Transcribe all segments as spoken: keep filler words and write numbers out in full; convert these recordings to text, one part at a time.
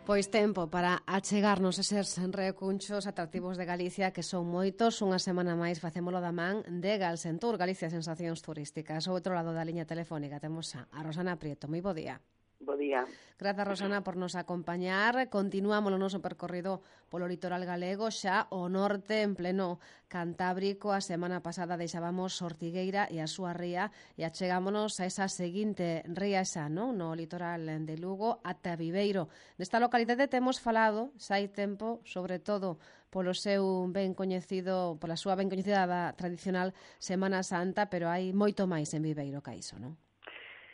Pois tempo para achegarnos eses recunchos atractivos de Galicia, que son moitos. Unha semana máis facémolo da man de Galsentur, Galicia Sensacións Turísticas. Ao outro lado da liña telefónica temos a Rosana Prieto. Moi bo día. Bo día. Grazas, Rosana, por nos acompañar. Continuamos o noso percorrido polo litoral galego, xa o norte en pleno Cantábrico. A semana pasada deixábamos Ortigueira e a súa ría e achegámonos a esa seguinte ría xa, non? No litoral de Lugo, ata Viveiro. Nesta localidade temos falado, xa hai tempo, sobre todo polo seu ben coñecido, pola súa ben coñecida da tradicional Semana Santa, pero hai moito máis en Viveiro que iso, non?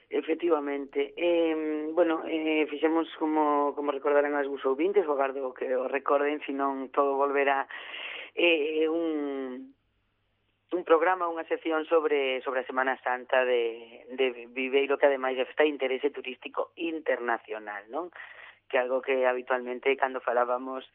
Efectivamente. Eh, bueno, eh, fixemos como, como recordarán as vos ouvintes, o agardo que o recorden, senón todo volverá eh, un, un programa, unha sección sobre sobre a Semana Santa de, de Viveiro, que ademais está de interese turístico internacional, non? Que algo que habitualmente cando falábamos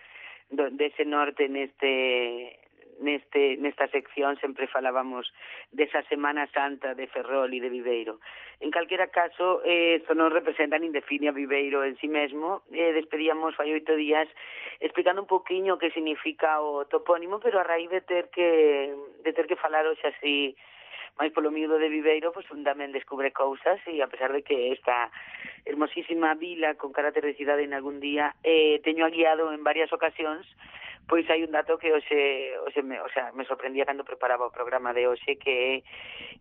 do, dese norte neste neste nesta sección sempre falábamos desa Semana Santa de Ferrol e de Viveiro. En calquera caso, eh, isto non representa nin define a Viveiro en sí mesmo. Eh, despedíamos fai oito días explicando un poquinho o que significa o topónimo, pero a raíz de ter que de ter que falar hoxe así máis polo miúdo de Viveiro, pois un tamén descubre cousas, e a pesar de que esta hermosísima vila con carácter de cidade en algún día eh, teño guiado en varias ocasións, pois hai un dato que hoxe, hoxe me, o sea, me sorprendía cando preparaba o programa de hoxe, que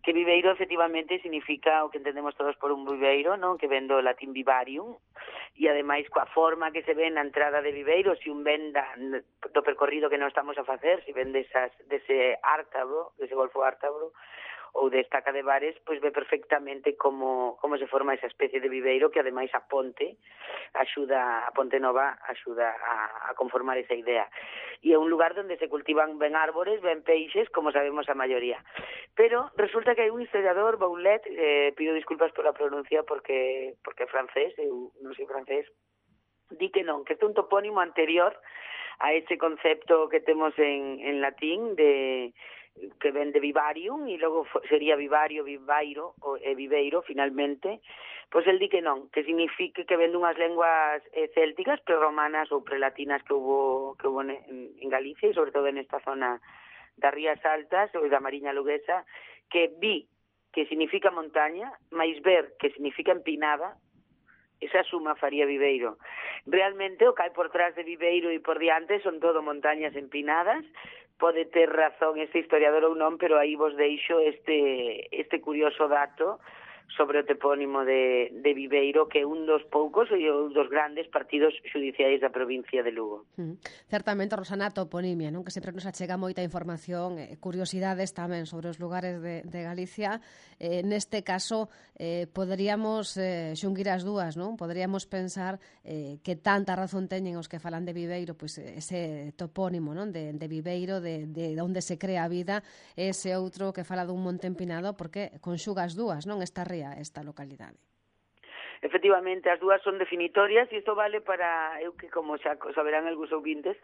que Viveiro efectivamente significa o que entendemos todos por un viveiro, non? Que ven do latín vivarium, e ademais coa forma que se ve na entrada de Viveiro, se un ven da, do percorrido que non estamos a facer, se ven desas, dese ártabro, dese golfo ártabro, ou de estaca de bares, pois ve perfectamente como, como se forma esa especie de viveiro, que ademais a ponte axuda, a Ponte Nova axuda a, a conformar esa idea. E é un lugar onde se cultivan ben árbores, ben peixes, como sabemos a maioría. Pero resulta que hai un historiador, Boulet, eh, pido disculpas pola pronuncia porque porque é francés, eu non sei francés, di que non, que este é un topónimo anterior a ese concepto que temos en, en latín de que ven de vivarium, e logo sería vivario, vivairo, ou e viveiro, finalmente, pois el di que non, que signifique que ven dunhas lenguas eh, célticas, prerromanas ou prelatinas que hubo, que hubo en, en Galicia, e sobre todo en esta zona das Rías Altas, ou da Mariña Luguesa, que vi, que significa montaña, máis ver, que significa empinada, esa suma faría Viveiro. Realmente o que hai por trás de Viveiro e por diante son todo montañas empinadas. Pode ter razón este historiador ou non, pero aí vos deixo este este curioso dato sobre o topónimo de, de Viveiro, que é un dos poucos e un dos grandes partidos xudiciais da provincia de Lugo. Mm. Certamente, Rosana, a toponimia, non? Que sempre nos achega moita información, eh, curiosidades tamén sobre os lugares de, de Galicia. Eh, neste caso, eh, poderíamos eh, xunguir as dúas, non? Poderíamos pensar eh, que tanta razón teñen os que falan de Viveiro, pois ese topónimo, non? De, de Viveiro, de, de onde se crea a vida, ese outro que fala dun monte empinado, porque conxuga as dúas, non? Esta ría, esta localidade. Efectivamente, as dúas son definitorias, e isto vale para eu que, como xa saberán algúns ouvintes,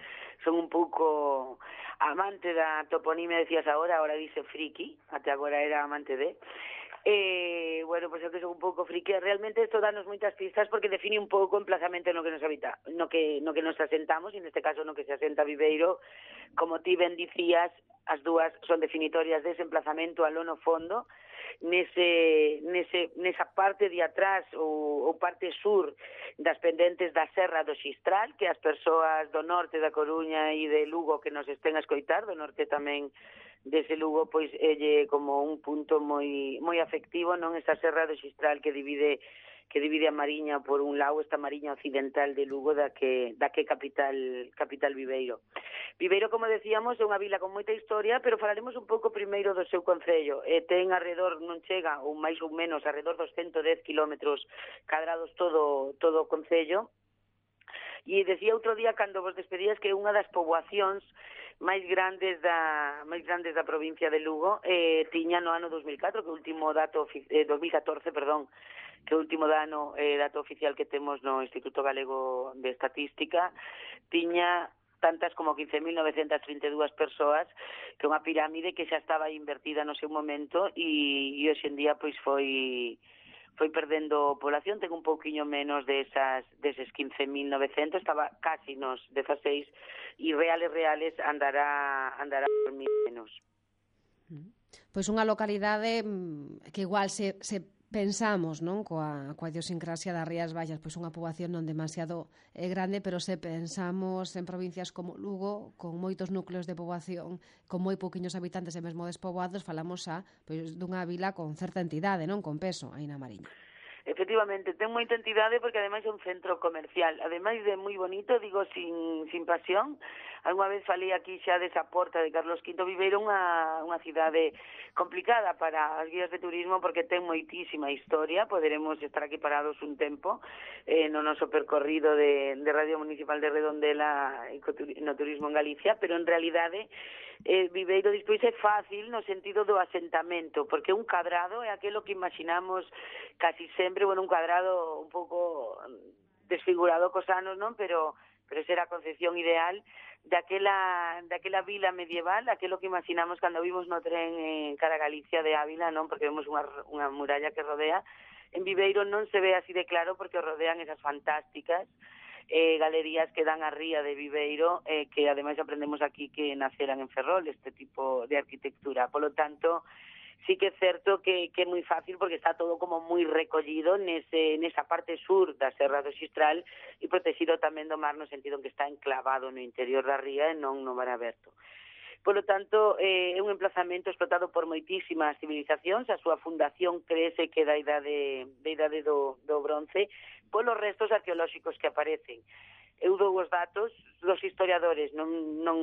son un pouco amante da toponimia, decías agora, agora dice friki, até agora era amante de... Eh, bueno, pois pues eu que son un pouco friki, realmente isto danos moitas pistas porque define un pouco o emplazamento no que nos habita, no que no que nos asentamos, e neste caso no que se asenta Viveiro. Como ti ben dicías, as dúas son definitorias dese emplazamento aló no fondo, nese, nese, nesa parte de atrás ou, ou parte sur das pendentes da Serra do Xistral, que as persoas do norte da Coruña e de Lugo que nos estén a escoitar, do norte tamén dese Lugo, pois é como un punto moi moi afectivo, non? Esa Serra do Xistral que divide que divide a Mariña por un lado, esta Mariña occidental de Lugo, da que da que capital capital Viveiro. Viveiro, como decíamos, é unha vila con moita historia, pero falaremos un pouco primeiro do seu concello. Eh, ten alrededor, non chega, ou máis ou menos, alrededor dos ciento dez kilómetros cadrados todo todo o concello. E decía outro día, cando vos despedías, que unha das poboacións máis grandes da máis grandes da provincia de Lugo eh, tiña no ano dos mil catro, que o último dato eh, dos mil catorce, perdón, que o último dano eh, dato oficial que temos no Instituto Galego de Estatística, tiña tantas como quince mil novecentas trinta e dúas persoas, que unha pirámide que xa estaba invertida no seu momento, e, e hoxe en día pois foi foi perdendo población, ten un pouquiño menos desas, deses quince mil novecentos, estaba casi nos dezaseis, e reales reales andará, andará por mil menos. Pois unha localidade que igual se, se pensamos, non, coa, coa idiosincrasia das Rías Baixas, pois unha poboación non demasiado eh, grande, pero se pensamos en provincias como Lugo, con moitos núcleos de poboación, con moi pouquiños habitantes e mesmo despoboados, falamos xa pois dunha vila con certa entidade, non, con peso, aí na Mariña. Efectivamente, ten moita entidade porque ademais é un centro comercial, ademais de moi bonito, digo, sin, sin pasión. Alguna vez falei aquí xa desa porta de Carlos quinto. Viveiro unha, unha cidade complicada para as guías de turismo porque ten moitísima historia. Poderemos estar aquí parados un tempo eh, no noso percorrido de, de Radio Municipal de Redondela no turismo en Galicia, pero en realidade eh, Viveiro despois é fácil no sentido do asentamento, porque un cadrado é aquilo que imaginamos casi sempre, bueno, un cadrado un pouco desfigurado cos anos, non? Pero pero esa era a concepción ideal daquela, daquela vila medieval, aquilo que imaginamos cando vimos no tren en cara a Galicia de Ávila, non? Porque vemos unha, unha muralla que rodea. En Viveiro non se ve así de claro porque rodean esas fantásticas eh, galerías que dan a ría de Viveiro, eh, que ademais aprendemos aquí que naceran en Ferrol, este tipo de arquitectura. Polo tanto, sí que é certo que, que é moi fácil porque está todo como moi recollido nese, nesa parte sur da Serra do Xistral e protegido tamén do mar no sentido en que está enclavado no interior da ría e non no mar aberto. Polo tanto, eh, é un emplazamento explotado por moitísimas civilizacións, a súa fundación crece que da idade, da idade do, do bronce, polos restos arqueolóxicos que aparecen. Eu dou os datos dos historiadores, non... non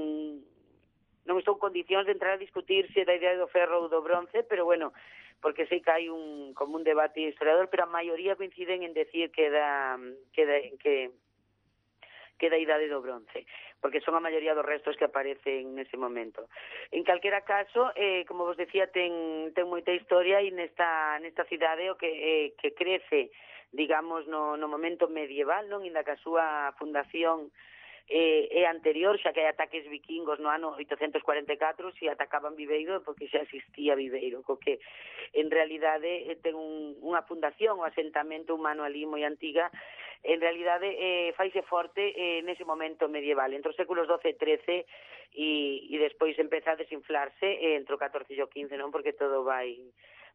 non estou en condicións de entrar a discutir se da idea do ferro ou do bronce, pero bueno, porque sei que hai un como un debate historiador, pero a maioría coinciden en decir que da que da, que que da idade do bronce, porque son a maioría dos restos que aparecen nese momento. En calquera caso, eh, como vos decía, ten ten moita historia e nesta nesta cidade o que eh, que crece, digamos, no no momento medieval, non, inda que a súa fundación Eh, é anterior, xa que hai ataques vikingos no ano oitocentos cuarenta e catro, se atacaban Viveiro porque xa existía Viveiro, co que en realidade eh, ten un, unha fundación, un asentamento humano ali moi antiga, en realidade eh, faise forte eh, nese momento medieval, entre os séculos doce e trece e, e despois empeza a desinflarse eh, entre o catorce e o quince, non, porque todo vai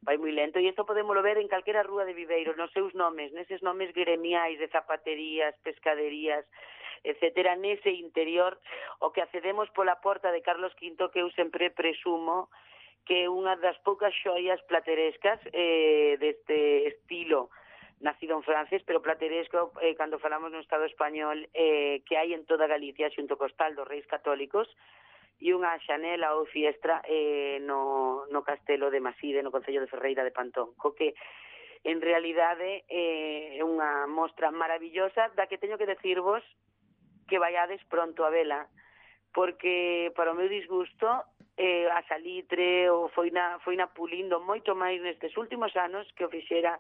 vai moi lento, e isto podémoslo ver en calquera rúa de Viveiro, nos seus nomes, neses nomes gremiais de zapaterías, pescaderías, etcétera, nese interior, o que accedemos pola porta de Carlos quinto, que eu sempre presumo que é unha das poucas xoias platerescas eh, deste estilo nacido en francés, pero plateresco, eh, cando falamos no Estado español, eh, que hai en toda Galicia, xunto co hostal dos Reis Católicos, e unha xanela ou fiestra eh, no, no castelo de Maside, no concello de Ferreira de Pantón, co que en realidade eh, é unha mostra maravillosa da que teño que decirvos que vaiades pronto a vela, porque para o meu disgusto eh, a salitre ou foi na, foi na pulindo moito máis nestes últimos anos que o fixera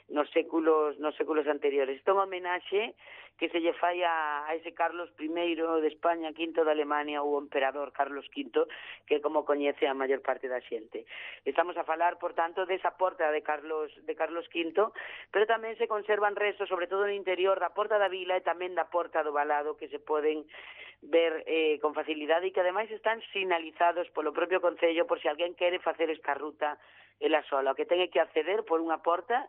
nos séculos nos séculos anteriores. Isto é unha homenaxe que se lle fai a, a ese Carlos primeiro de España, quinto de Alemania, ou o emperador Carlos quinto, que como coñece a maior parte da xente. Estamos a falar, por tanto, desa porta de Carlos de Carlos quinto, pero tamén se conservan restos, sobre todo no interior da porta da vila e tamén da porta do Valado, que se poden ver eh, con facilidade e que ademais están sinalizados polo propio Concello por se alguén quere facer esta ruta ela sola, o que ten que acceder por unha porta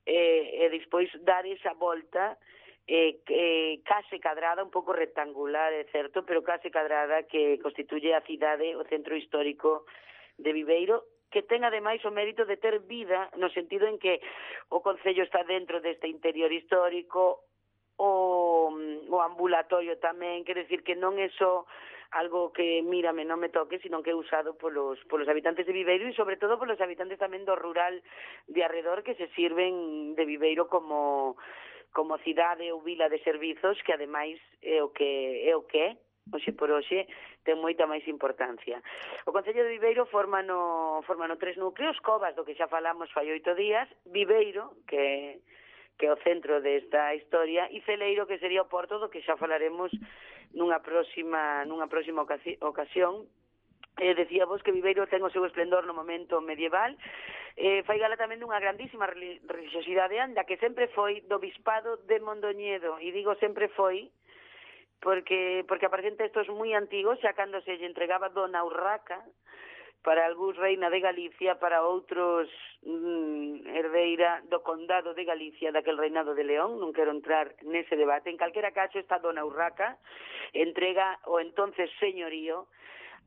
e, e despois dar esa volta eh, eh, case cadrada, un pouco rectangular, é certo, pero case cadrada, que constituye a cidade, o centro histórico de Viveiro, que ten ademais o mérito de ter vida, no sentido en que o Concello está dentro deste interior histórico, o, o ambulatorio tamén, quer decir que non é só algo que, mírame, non me toque, sino que é usado polos, polos habitantes de Viveiro e sobre todo polos habitantes tamén do rural de arredor, que se sirven de Viveiro como como cidade ou vila de servizos, que ademais é o que é o que é, hoxe por hoxe ten moita máis importancia. O Concello de Viveiro forma no, forma no tres núcleos: Covas, do que xa falamos fai oito días, Viveiro, que que é o centro desta historia, e Celeiro, que sería o porto, do que xa falaremos nunha próxima nunha próxima ocasión, Eh, decía vos que Viveiro ten o seu esplendor no momento medieval, eh, fai gala tamén dunha grandísima religiosidade anda, que sempre foi do bispado de Mondoñedo, e digo sempre foi, porque porque aparecen textos moi antigos, xa cando se lle entregaba Dona Urraca, para algúns reina de Galicia, para outros mm, herdeira do condado de Galicia, daquel reinado de León. Non quero entrar nese debate. En calquera caso, esta Dona Urraca entrega o entonces señorío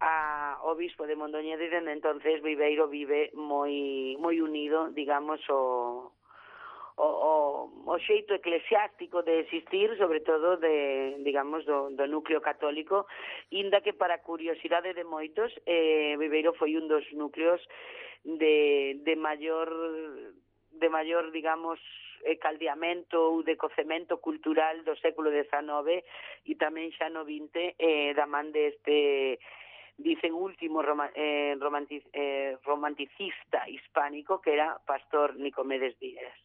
a obispo de Mondoñedo, e dende entonces Viveiro vive moi moi unido, digamos, o o, o, o xeito eclesiástico de existir, sobre todo de, digamos, do, do núcleo católico, inda que para curiosidade de moitos, eh, Viveiro foi un dos núcleos de, de maior, de maior, digamos, eh, caldeamento ou de cocemento cultural do século dezanove e tamén xa no vinte, eh, da man deste, dicen, último roma, eh, romantic, eh, romanticista hispánico, que era Pastor Nicomedes Díaz.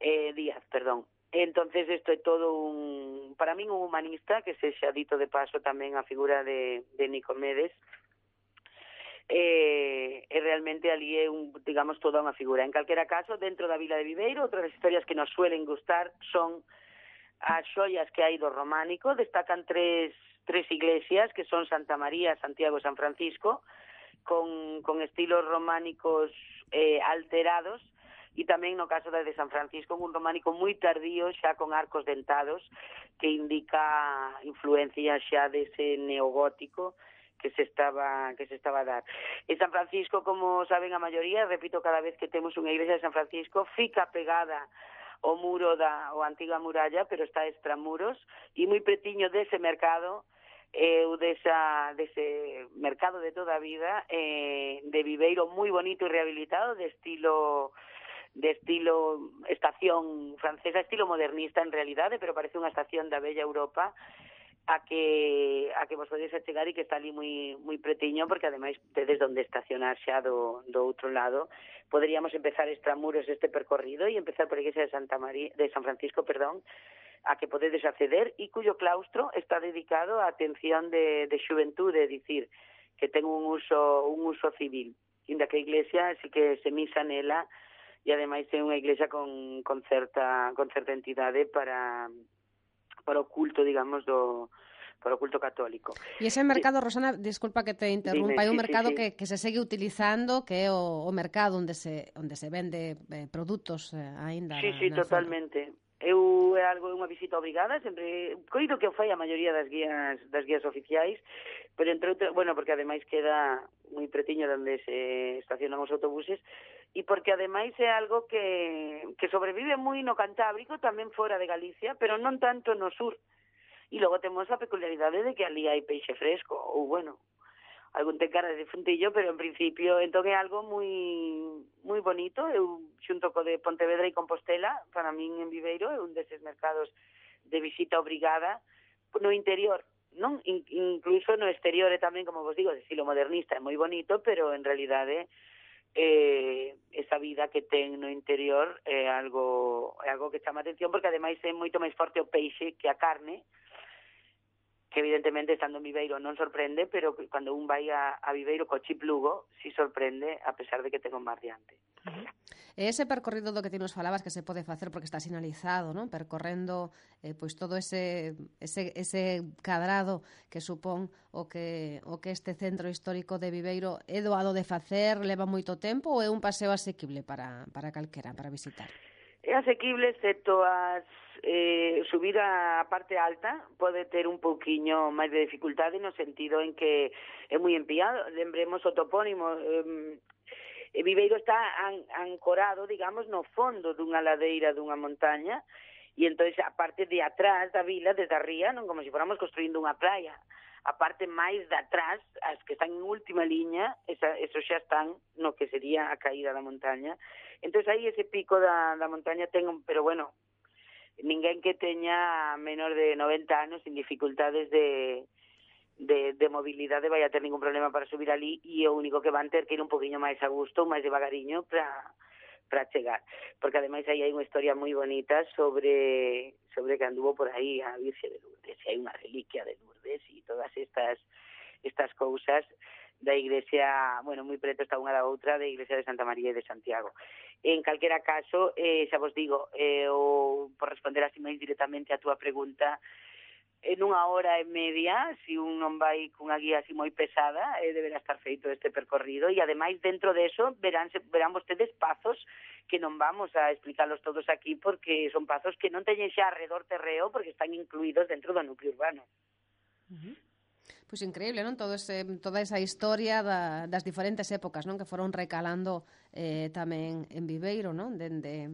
Eh, Díaz, perdón. Entonces isto é todo un, para min, un humanista, que se xa dito de paso tamén a figura de, de Nicomedes, eh, e realmente ali é un, digamos, toda unha figura. En calquera caso, dentro da vila de Viveiro, outras historias que nos suelen gustar son as xoias que hai do románico. Destacan tres, tres iglesias, que son Santa María, Santiago e San Francisco, con, con estilos románicos eh, alterados, e tamén no caso da de San Francisco, un románico moi tardío, xa con arcos dentados, que indica influencia xa dese neogótico que se estaba que se estaba a dar. En San Francisco, como saben a maioría, repito, cada vez que temos unha iglesia de San Francisco, fica pegada o muro da o antiga muralla, pero está extramuros, e moi pretiño dese mercado, eh, desa, dese mercado de toda a vida, eh, de Viveiro, moi bonito e rehabilitado, de estilo de estilo estación francesa, estilo modernista en realidade, pero parece unha estación da bella Europa a que a que vos podedes achegar e que está ali moi moi pretiño, porque ademais tedes onde estacionar xa do, do outro lado. Poderíamos empezar extramuros este percorrido e empezar por a iglesia de Santa María, de San Francisco, perdón, a que podedes acceder, e cuyo claustro está dedicado á atención de, de xuventude, é dicir, que ten un uso un uso civil, inda que a iglesia sí que se misa nela, e ademais é unha iglesia con, con certa con certa entidade para para o culto, digamos, do para o culto católico. E ese mercado, Rosana, disculpa que te interrumpa, Dime, hai un sí, mercado sí, sí. que, que se segue utilizando, que é o, o mercado onde se onde se vende eh, produtos eh, aínda Sí, na, sí, na totalmente. Zona. Eu é algo, unha visita obrigada, sempre coido que o fai a maioría das guías das guías oficiais, pero entre outras, bueno, porque ademais queda moi pretiño onde se estacionan os autobuses, e porque ademais é algo que, que sobrevive moi no Cantábrico, tamén fora de Galicia, pero non tanto no sur. E logo temos a peculiaridade de que ali hai peixe fresco, ou, bueno, algún ten cara de funtillo, pero en principio entón é algo moi moi bonito. Eu xunto co de Pontevedra e Compostela, para min en Viveiro é un deses mercados de visita obrigada no interior, non? In, incluso no exterior é tamén, como vos digo, de estilo modernista, é moi bonito, pero en realidade eh, esa vida que ten no interior é algo é algo que chama atención, porque ademais é moito máis forte o peixe que a carne, que evidentemente estando en Viveiro non sorprende, pero cando un vai a, a Viveiro co chip Lugo, si sorprende, a pesar de que ten un mar diante. Uh-huh. Ese percorrido do que ti nos falabas que se pode facer porque está sinalizado, non? Percorrendo eh, pois todo ese, ese, ese cadrado que supón o que, o que este centro histórico de Viveiro é doado de facer, leva moito tempo, ou é un paseo asequible para, para calquera, para visitar? É asequible, excepto as eh, subir a parte alta, pode ter un pouquiño máis de dificultade no sentido en que é moi empiado. Lembremos o topónimo, eh, Viveiro está an, ancorado, digamos, no fondo dunha ladeira dunha montaña, e entón a parte de atrás da vila, desde arriba, non como se fóramos construindo unha playa, a parte máis de atrás, as que están en última liña, esa, eso xa están no que sería a caída da montaña. Entón aí ese pico da, da montaña ten, pero bueno, ninguén que teña menor de noventa anos sin dificultades de, de, de mobilidade vai a ter ningún problema para subir ali, e o único que van ter que ir un poquinho máis a gusto, máis devagariño para para chegar, porque ademais aí hai unha historia moi bonita sobre sobre que anduvo por aí a Virxe de Lourdes, e hai unha reliquia de Lourdes e todas estas estas cousas da iglesia, bueno, moi preto está unha da outra, da iglesia de Santa María e de Santiago. En calquera caso, eh, xa vos digo, eh, o, por responder así máis directamente a túa pregunta, en unha hora e media, se un non vai cunha guía así moi pesada, eh, deberá estar feito este percorrido, e ademais dentro deso verán, verán vostedes pazos que non vamos a explicarlos todos aquí, porque son pazos que non teñen xa arredor terreo, porque están incluídos dentro do núcleo urbano. Uh-huh. Pois increíble, non? Todo ese, toda esa historia da, das diferentes épocas, non? Que foron recalando eh, tamén en Viveiro, non? Dende...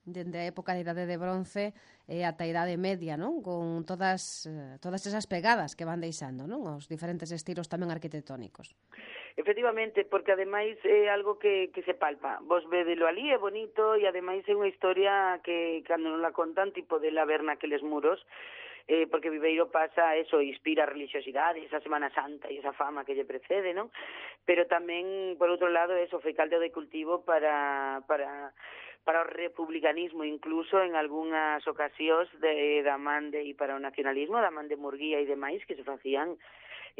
dende a época da Idade de Bronce e ata a Idade Media, non? Con todas todas esas pegadas que van deixando, non? Os diferentes estilos tamén arquitectónicos. Efectivamente, porque ademais é algo que, que se palpa. Vos vedelo ali, é bonito, e ademais é unha historia que, cando non la contan, tipo de la ver naqueles muros, eh, porque Viveiro pasa eso, inspira a religiosidade, esa Semana Santa e esa fama que lle precede, non? Pero tamén, por outro lado, eso foi caldo de cultivo para... para para o republicanismo, incluso en algunhas ocasións de, da man de, e para o nacionalismo, da man de Murguía e demais, que se facían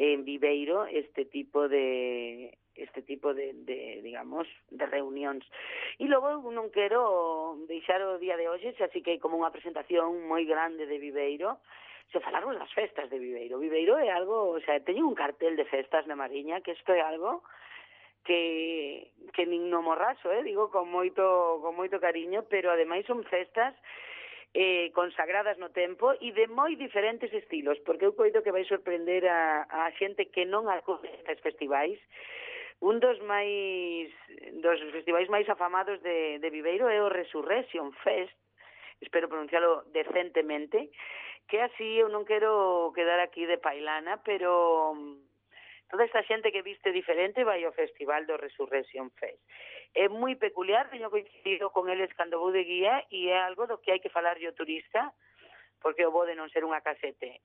en Viveiro este tipo de este tipo de, de digamos, de reunións. E logo non quero deixar o día de hoxe, así que hai como unha presentación moi grande de Viveiro, se falarmos das festas de Viveiro. Viveiro é algo, o sea, teño un cartel de festas na Mariña, que isto é algo que que nin no morraso, eh, digo con moito con moito cariño, pero ademais son festas eh, consagradas no tempo e de moi diferentes estilos, porque eu coido que vai sorprender a, a xente que non acude a estes festivais. Un dos máis dos festivais máis afamados de, de Viveiro é o Resurrection Fest, espero pronuncialo decentemente, que así eu non quero quedar aquí de pailana, pero toda esta xente que viste diferente vai ao Festival do Resurrection Fest. É moi peculiar, teño coincidido con eles cando vou de guía, e é algo do que hai que falar yo turista, porque o bo de non ser unha casete.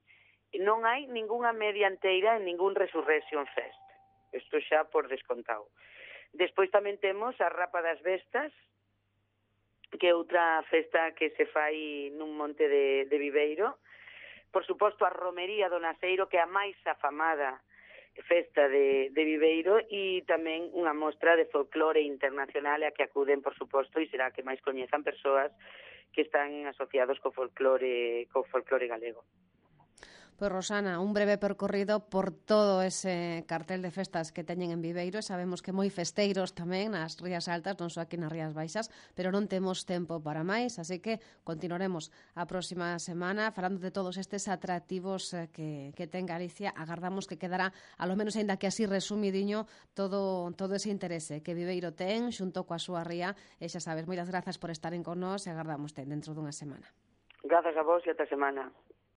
Non hai ningunha media enteira en ningún Resurrection Fest. Isto xa por descontado. Despois tamén temos a Rapa das Vestas, que é outra festa que se fai nun monte de, de Viveiro. Por suposto, a Romería do Naceiro, que é a máis afamada festa de, de Viveiro, e tamén unha mostra de folclore internacional a que acuden, por suposto, e será que máis coñezan persoas que están asociados co folclore, co folclore galego. Pois, Rosana, un breve percorrido por todo ese cartel de festas que teñen en Viveiro, e sabemos que moi festeiros tamén nas Rías Altas, non só aquí nas Rías Baixas, pero non temos tempo para máis, así que continuaremos a próxima semana falando de todos estes atractivos que, que ten Galicia. Agardamos que quedará, alo menos aínda que así resumidiño, todo, todo ese interese que Viveiro ten xunto coa súa ría, e xa sabes, moitas grazas por estaren con nós, e agardamos ten dentro dunha semana. Grazas a vos e ata semana.